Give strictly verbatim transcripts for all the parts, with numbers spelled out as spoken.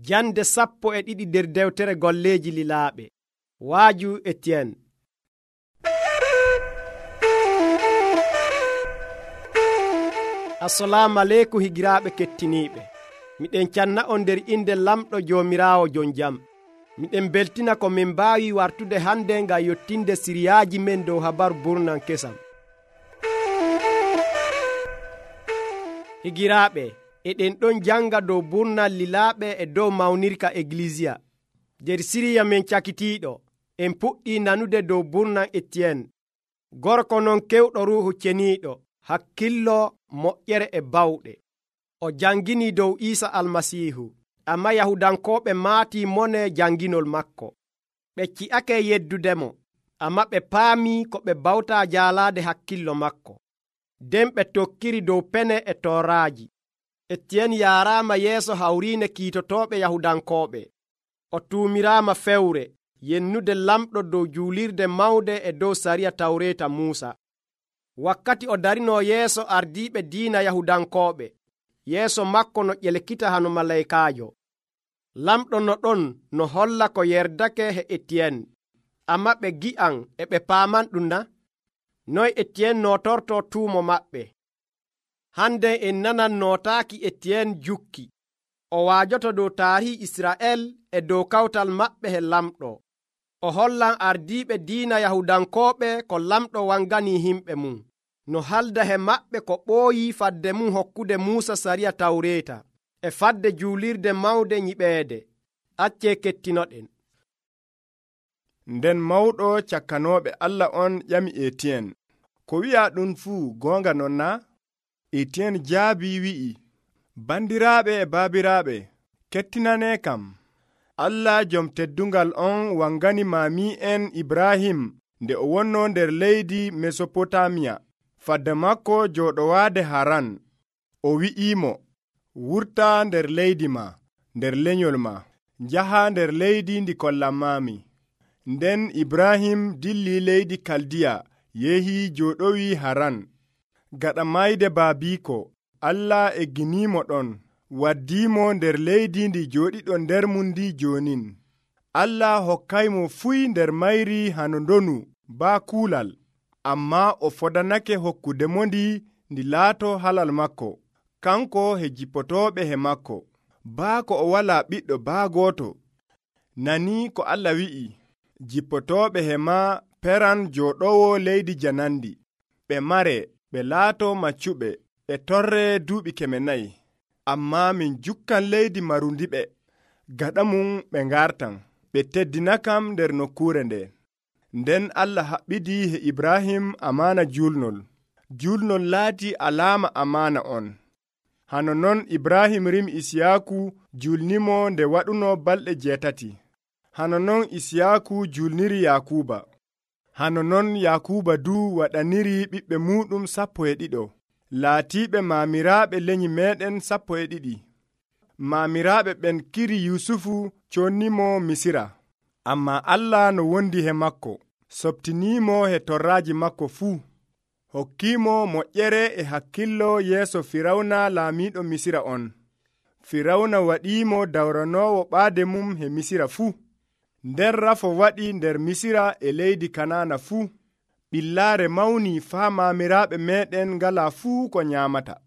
Jande sappo e ɗiɗi nder dewtere golleeji lilaaɓe. Waaju Etienne. Assalamu aleykum higiraaɓe kettiniiɓe. Miɗen canna on nder inde lamɗo Joomiraawo jon jam. Miɗen beltina ko min mbaawi wartude hande ngam yottinde siriyaaji men dow habaru burnan kesam. Higiraaɓe, eɗen ɗon janga dow burnal lilaaɓe e dow mawnirka Eglisiya. Der siriya men cakitiiɗo, en puɗɗi nanude dow burnan Etienne, gorko non kewɗo ruuhu ceniiɗo, hakkillo moƴƴere e bawɗe. O jangini dow Iisa Almasiihu, amma Yahudankooɓe maatii mone janginol makko. Ɓe ci'ake yeddudemo, amma ɓe paamii ko ɓe bawtaa jaalaade hakkillo makko. Nden ɓe tokkiri dow pene e tooraaji. Etienne yaaraama yeeso hawriine kiitotooɓe Yahudankooɓe. O tuumiraama fewre yennude lamɗo dow juulirde mawde e dow sariya tawreeta Muusa. Wakkati o darinoo yeeso ardiiɓe diina Yahudankooɓe, yeeso makko no ƴelkita hano malaykaajo. Lamɗo no ɗon no holla ko yerdake he Etienne, amma ɓe gi'an e ɓe paaman ɗum na? Noy Etienne nootortoo tuumo maɓɓe? Hande en nanan nootaaki Etienne jukki. O waajoto dow taarihi Israa'el e dow kawtal maɓɓe he lamɗo. O hollan ardiiɓe diina Yahudankooɓe ko lamɗo wanganii himɓe mum, no halda he maɓɓe ko ɓooyii fadde mum hokkude Muusa sariya tawreeta e fadde juulirde mawde nyiɓeede. Accee kettinoɗen. Nden mawɗo cakkanooɓe Allah on ƴami Etienne, ko wi'a ɗum fuu goonga non na? Etienne jaabi wi'i, bandiraaɓe e baabiraaɓe, kettinane kam. Allah jom teddungal on wangani maami'en Ibrahim nde o wonno nder leydi Mesopotamiya, fadde makko jooɗowaade Haran. O wi'imo, wurta nder leydi ma, nder lenyol ma, njaha nder leydi ndi kollanmaami. Nden Ibrahim dilli leydi Kaldiya yehi jooɗowi Haran. Gaɗa mayde baabiiko, Allah egginimo ɗon, waddimo nder leydi ndi jooɗiɗo nder mum ndi jonin. Allah hokkaymo fuy nder mayri hano ndonu baa kuulal, amma o fodanake hokkudemo ndi ndi laato halal makko, kanko he jippotooɓe he makko, baa ko o walaa ɓiɗɗo baa gooto. Nani ko Allah wi'i, jippotooɓe he ma peran jooɗowo leydi janandi, ɓe mare, ɓe laato maccuɓe, e torre duuɓi keme nayi. Amma min jukkan leydi marundiɓe, gaɗa mum ɓe ngartan, ɓe teddinakam nder nokkure nde. Nden Allah haɓɓidi he Ibrahim amaana julnol. Julnol laati alaama amaana on. Hano non Ibrahim rimi Isiyaaku julnimo nde waɗuno balɗe jeetati. Hano non Isiyaaku julniri Yakuba. Hano non Yakuba du waɗaniri ɓiɓɓe muɗum sappo e ɗiɗo, laatiiɓe maamiraaɓe lenyi meɗen sappo e ɗiɗi. Maamiraaɓe ɓen kiri Yusufu connimo Misira, amma Allah no wondi he makko, sobtinimo he torraaji makko fuu, hokkimo moƴƴere e hakkillo yeeso Firawna laamiiɗo Misira on. Firawna waɗimo dawranowo ɓaade mum he Misira fuu. Nder rafo waɗi nder Misira e leydi Kanaana fuu. Ɓillaare mawni faa maamiraaɓe meɗen ngala fuu ko nyaamata.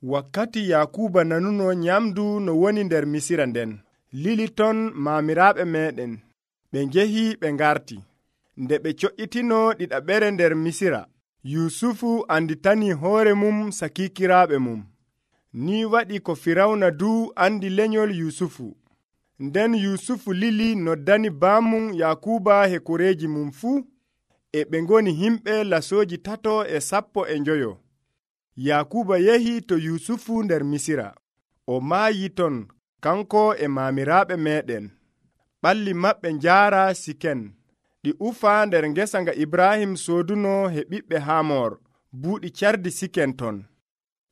Wakkati Yakuba nanuno nyamdu no woni nder Misira nden, lili ton maamiraaɓe meɗen. Ɓe njehi ɓe ngarti. Nde ɓe co'itino ɗiɗaɓere nder Misira, Yusufu anditani hoore mum sakikiraaɓe mum. Ni waɗi ko Firawna du andi lenyol Yusufu. Nden Yusufu lili noddani baamum Yakuba he koreeji mum fuu, e ɓe ngoni himɓe lasooji tato e sappo e njoyo. Yakuba yehi to Yusufu nder Misira. O maayi ton, kanko e maamiraaɓe meɗen. Ɓalli maɓɓe njaara Siken, ɗi ufa nder ngesa nga Ibrahim sooduno he ɓiɓɓe Hamor, buuɗi cardi Siken ton.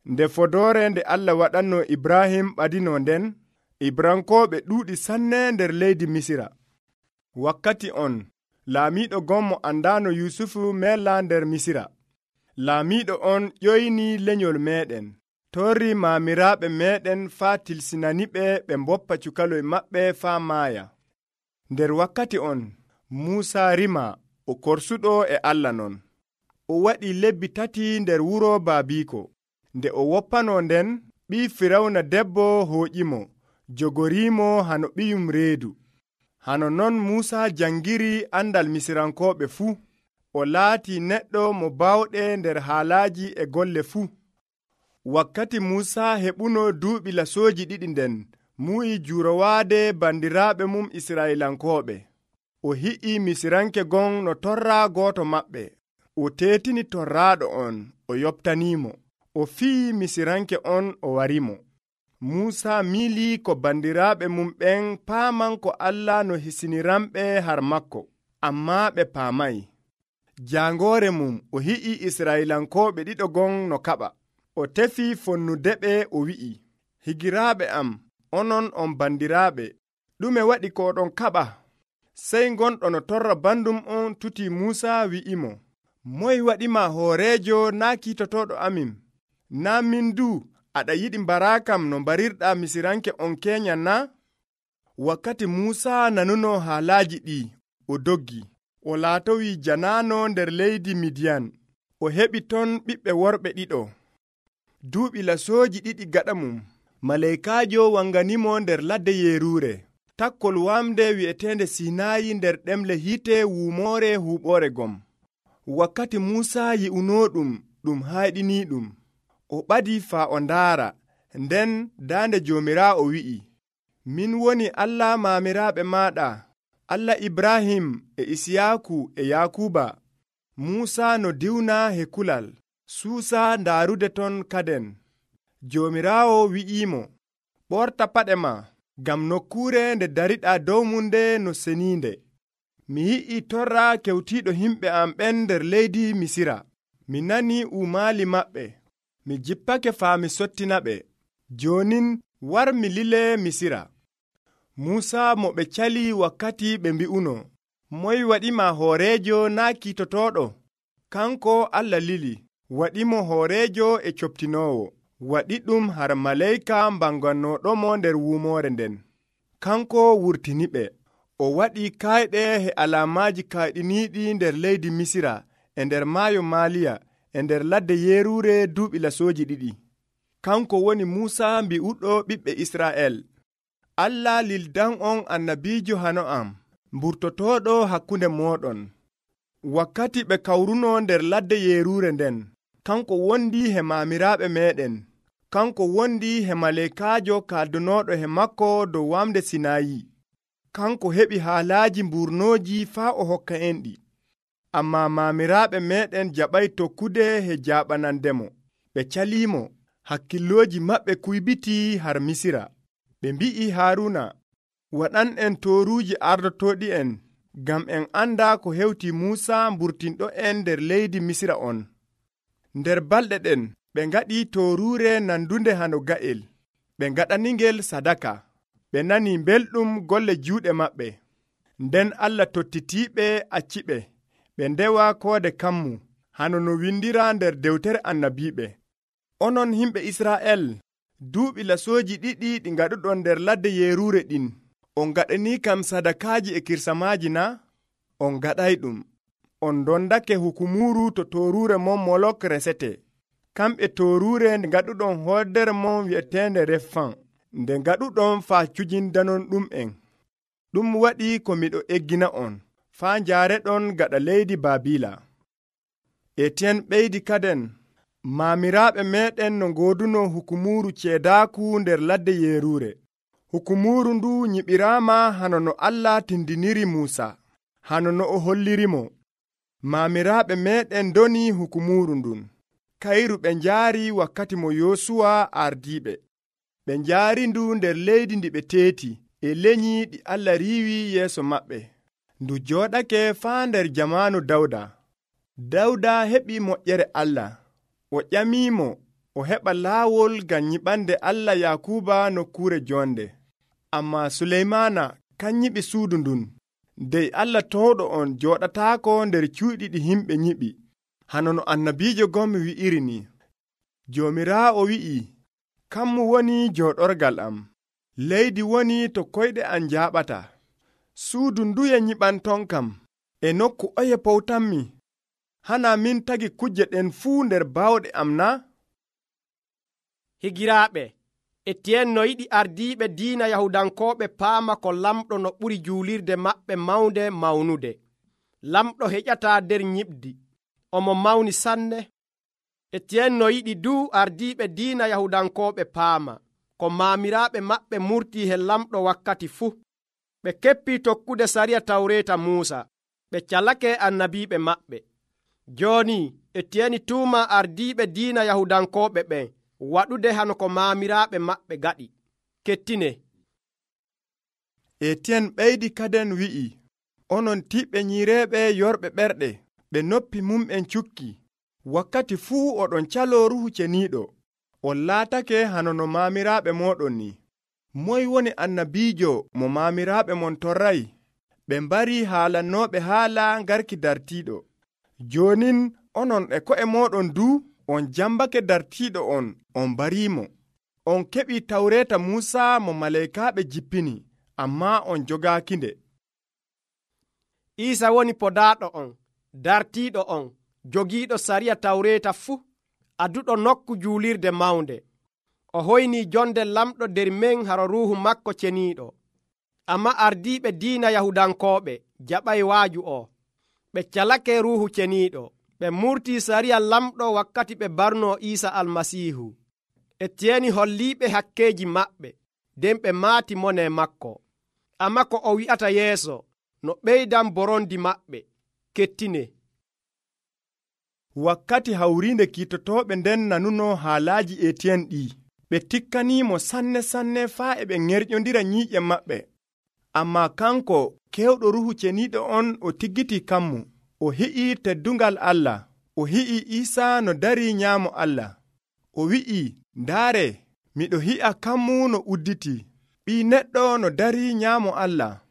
Nde fodoore nde Allah waɗanno Ibrahim ɓadino nden, Ibrankooɓe ɗuuɗi sanne nder leydi Misira. Wakkati on, laamiiɗo gommo andaano Yusufu mela nder Misira. Laamiiɗo on ƴoyni lenyol meɗen, torri maamiraaɓe meeɗen faa tilsinaniɓe ɓe mboppa cukaloy maɓɓe faa maaya. Nder wakkati on Muusaa rima o korsuɗo e Allah non. O waɗi lebbi tati nder wuro baabiiko. Nde o woppano nden, ɓii Firawna debbo hooƴimo, jogoriimo hano ɓiyum reedu. Hano non Muusaa jangiri andal Misirankooɓe fuu. O laati neɗɗo mo baawɗe nder haalaaji e golle fuu. Wakkati Muusaa heɓuno duuɓi lasooji ɗiɗi nden, muyi juurowaade bandiraaɓe mum Israa'ilankooɓe. O hi'i Misiranke gon no torraa gooto maɓɓe. O teetini torraaɗo on, o yoɓtaniimo. O fiyi Misiranke on o warimo. Muusaa miilii ko bandiraaɓe mum ɓen paaman ko Allah no hisiniranɓe har makko, ammaa ɓe paamay. Jaangoore mum o hi'i Israa'ilankooɓe ɗiɗo gon no kaɓa. O tefi fonnudeɓe o wi'i, higiraaɓe am, onon on bandiraaɓe, ɗume waɗi ko ɗon kaɓa? Sey gonɗo no torra bandum on tuti Muusaa wi'imo, moy waɗima hooreejo naa kiitotoɗo amin? Naa min du aɗa yiɗi mbaraakam no mbarirɗaa Misiranke on keenya na? Wakkati Muusaa nanuno haalaaji ɗi, o doggi. O laatowi janaano nder leydi Midiyan. O heɓi ton ɓiɓɓe worɓe ɗiɗo. Duuɓi lasooji ɗiɗi gaɗa mum, maleykaajo wanganimo nder ladde yeeruure, takkol wamde wi'eteende Sinaayi nder ɗemle hiite wuumoore huuɓoore gom. Wakkati Muusaa yi'unooɗum ɗum hayɗiniiɗum, o ɓadi faa o ndaara, nden daande Joomiraawo wi'i, min woni Allah maamiraaɓe maaɗa, Allah Ibrahim e Isiyaaku e Yaakuba. Muusaa no diwna he kulal, suusa ndaarude ton kaden. Joomiraawo wi'iimo, ɓorta paɗe ma, ngam nokkuure nde dariɗaa dow mum nde no seniinde. Mi yi'i torra kewtiiɗo himɓe am ɓen nder leydi Misira. Mi nani uumaali maɓɓe. Mi jippake faa mi sottinaɓe. Joonin war mi lile Misira. Muusaa mo ɓe cali wakkati ɓe mbi'uno, moy waɗima hooreejo naa kiitotoɗo? Kanko Allah lili, waɗimo hooreejo e coptinoowo, waɗi ɗum har maleyka mbangannoɗomo nder wuumoore nden. Kanko wurtiniɓe, o waɗi kayɗe he alaamaaji kayɗiniiɗi nder leydi Misira, e nder maayo Maaliya, e nder ladde yeeruure duuɓi lasooji ɗiɗi. Kanko woni Muusaa mbi'uɗo ɓiɓɓe Israa'el. Allah lildan on annabiijo hano am, mburtotooɗo hakkunde mooɗon. Wakkati ɓe kawruno nder ladde yeeruure nden, kanko wondi he maamiraaɓe meeɗen. Kanko wondi he maleykaajo kaaldunooɗo he makko dow wamde Sinaayi. Kanko heɓi haalaaji mburnooji faa o hokka en ɗi. Ammaa maamiraaɓe meeɗen jaɓay tokkude he jaaɓanandemo. Ɓe caliimo, hakkillooji maɓɓe kuybitii har Misira. Ɓe mbi'i Haaruna, waɗan en tooruuji ardotooɗi en, ngam en anda ko hewti Muusaa mburtinɗo en nder leydi Misira on. Nder balɗe ɗen ɓe ngaɗi tooruure nandunde hano ga'el. Ɓe ngaɗaningel sadaka. Ɓe nani belɗum golle juuɗe maɓɓe. Nden Allah tottitiiɓe acciɓe. Ɓe ndewa koode kammu, hano no windira nder dewtere annabiiɓe. Onon himɓe Israa'el, duuɓi lasooji ɗiɗi ɗi ngaɗuɗon nder ladde yeeruure ɗin, on ngaɗanii kam sadakaaji e kirsamaaji na? On ngaɗay ɗum. On dondake hukumuuru to tooruure mon Molok resete. Kamɓe tooruure nde ngaɗuɗon hoodere mon wi'eteende Refan, nde ngaɗuɗon faa cujindanon ɗum en. Ɗum waɗi ko miɗo eggina on, faa njaareɗon gaɗa leydi Baabila. Etiyen ɓeydi kaden, maamiraaɓe meeɗen no ngooduno hukumuuru ceedaaku nder ladde yeeruure. Hukumuuru ndu nyiɓiraama hano no Allah tindiniri Muusa, hano no o hollirimo. Maamiraaɓe meeɗen doni hukumuuru ndun. Kayru ɓe njaari wakkati mo Yoosuwa ardiiɓe. Ɓe njaari ndu nder leydi ndi ɓe teeti, e lenyyi ɗi Allah riiwi yeeso maɓɓe. Ndu jooɗake faa nder jamaanu Dawda. Dawda heɓi moƴƴere Allah. O ƴamiimo o heɓa laawol ngam nyiɓande Allah Yaakuba nokkuure joonde. Ammaa Suleymaana kan nyiɓi suudu ndun. Dey Allah towɗo on jooɗataako nder cuuɗi ɗi himɓe nyiɓi. Hano no annabiijo gom wi'iri ni. Joomiraawo wi'i, kammu woni jooɗorgal am, leydi woni to koyɗe am jaaɓata. Suudu nduye nyiɓanton kam, e nokku oye powtanmi? Hana min tagi kujje ɗen fuu nder baawɗe am na? Higiraaɓe, Etiyen no yiɗi ardiiɓe diina Yahudankooɓe paama ko lamɗo no ɓuri juulirde maɓɓe mawnde mawnude. Lamɗo heƴataa nder nyiɓdi, omo mawni sanne. Etiyen no yiɗi duu ardiiɓe diina Yahudankooɓe paama ko maamiraaɓe maɓɓe murtii he lamɗo wakkati fuu. Ɓe keppii tokkude sariya tawreeta Muusa, ɓe calake annabiiɓe maɓɓe. Jooni Etiyen tuuma ardiiɓe diina Yahudankooɓe ɓen waɗude hano ko maamiraaɓe maɓɓe gaɗi. Kettine. Etiyen ɓeydi kaden wi'i, onon tiɓɓe nyiireeɓe yorɓe ɓerɗe, ɓe noppi mum'en cukki. Wakkati fuu oɗon caloo Ruuhu Ceniiɗo, on laatake hano no maamiraaɓe mooɗon ni. Moy woni annabiijo mo maamiraaɓe mon torray? Ɓe mbarii haalannooɓe haala ngarki dartiiɗo. Joonin onon e ko'e mooɗon duu on jambake dartiiɗo on, on mbariimo. On keɓii tawreeta Muusa mo maleykaaɓe jippini, ammaa on jogaakinde. Iisa woni podaaɗo on, dartiiɗo on, jogiiɗo sariya tawreeta fuu, aduɗo nokku juulirde mawnde. O hoynii jonde lamɗo nder men haro Ruuhu makko ceniiɗo. Amma ardiiɓe diina Yahudankooɓe jaɓay waaju o. Ɓe calake Ruuhu Ceniiɗo. Ɓe murtii sariya lamɗo wakkati ɓe barnoo Iisa Almasiihu. Etiyeni holliiɓe hakkeeji maɓɓe, nden ɓe maati mone makko. Amma ko o wi'ata yeeso no ɓeydan borondi maɓɓe. Kettine. Wakkati hawriinde kiitotooɓe nden nanunoo haalaaji Etiyen ɗii, ɓe tikkaniimo sanne sanne faa e ɓe ŋerƴondira nyiiƴe maɓɓe. Ammaa kanko kewɗo Ruuhu Ceniiɗo on o tiggitii kammu. O hi'ii teddungal Allah. O hi'ii Iisa no darii nyaamo Allah. O wi'ii, ndaare, miɗo hi'a kammu no udditii, ɓii neɗɗo no darii nyaamo Allah.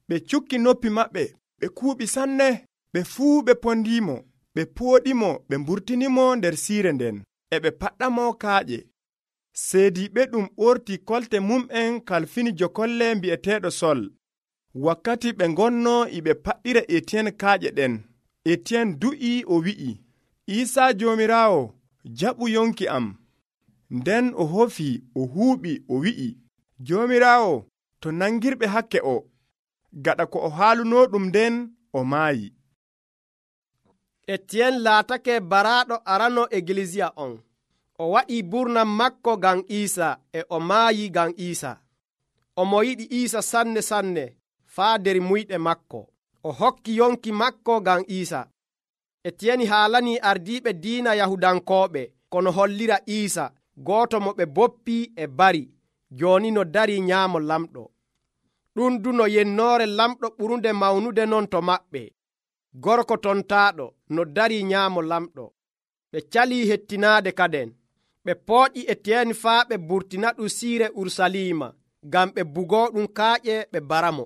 Ɓe cukki noppi maɓɓe, ɓe kuuɓi sanne, ɓe fuu ɓe pondiimo, ɓe pooɗimo, ɓe mburtinimo nder siire nden, e ɓe paɗɗamo kaaƴe. Seediiɓe ɗum ɓortii kolte mum'en kalfini jokolle mbi'eteeɗo Sol. Wakkati ɓe ngonnoo e ɓe paɗɗira Etiyen kaaƴe ɗen, Etiyen du'ii o wi'i, Iisaa Joomiraawo, jaɓu yonki am. Nden o hofii, o huuɓi, o wi'i, Joomiraawo, to nangirɓe hakke o. Gaɗa ko o haalunoo ɗum nden, o maayi. Etiyen laatake baraaɗo arano Egilisiya on. O waɗii burnam makko ngam Iisa, e o maayi ngam Iisa. Omo yiɗi Iisa sanne sanne faa nder muyɗe makko. O hokki yonki makko ngam Iisa. Etiyeni haalanii ardiiɓe diina Yahudankooɓe kono hollira Iisa, gooto mo ɓe boppii e bari, jooni no darii nyaamo lamɗo. Ɗum du no yennoore lamɗo ɓurunde mawnude non to maɓɓe. Gorko tontaaɗo no darii nyaamo lamɗo. Ɓe calii hettinaade kaden. Ɓe pooƴi Etiyeni faa ɓe burtina ɗum siire Urusalima, ngam ɓe bugoo ɗum kaaƴe ɓe baramo.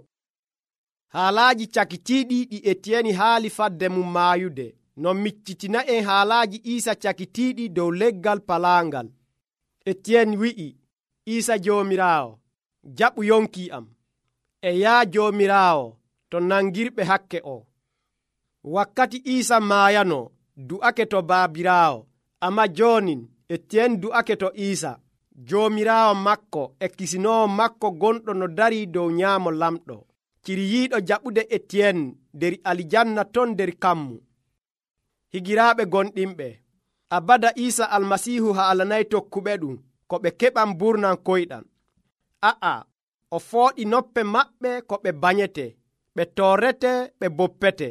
Haalaaji cakitiiɗi ɗi Etiyeni haali fadde mum maayude, no miccitina en haalaaji Iisa cakitiiɗi dow leggal palaangal. Etiyeni wi'i, Iisa Joomiraawo, jaɓu yonki am. E yaa Joomiraawo, to nangirɓe hakke o. Wakkati Iisa maayano, du'ake to baabiraawo, amma joonin Etiyeni du'ake to Iisa, Joomiraawo makko e kisinoowo makko gonɗo no darii dow nyaamo lamɗo. Ciriyiiɗo jaɓude Etiyen nder alijanna ton nder kammu. Higiraaɓe gonɗinɓe, abada Iisa Almasiihu haalanay tokkuɓe ɗum ko ɓe keɓan burnan koyɗan. A'a, o fooɗi noppe maɓɓe ko ɓe banyete, ɓe torrete, ɓe boppete,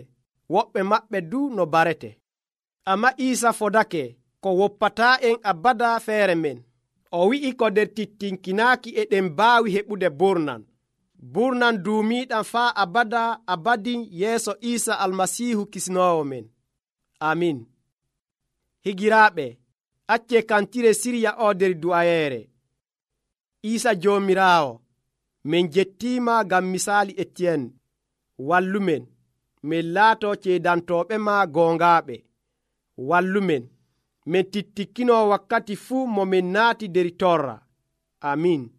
woɓɓe maɓɓe du no barete. Amma Iisa fodake ko woppataa en abada feere men. O wi'i ko nder tittinkinaaki e ɗen mbaawi heɓude burnan. Burnan duumiiɗan faa abada abadin yeeso Iisa Almasiihu kisnoowo men. Amin. Higiraaɓe, accee kantire sirya o nder du'ayeere. Iisa Joomiraawo, min jettiima ngam misaali Etiyen. Wallumen, min laatoo ceedantooɓe ma goongaaɓe. Wallumen, min tittikkinoo wakkati fuu mo min naati nder torra. amin.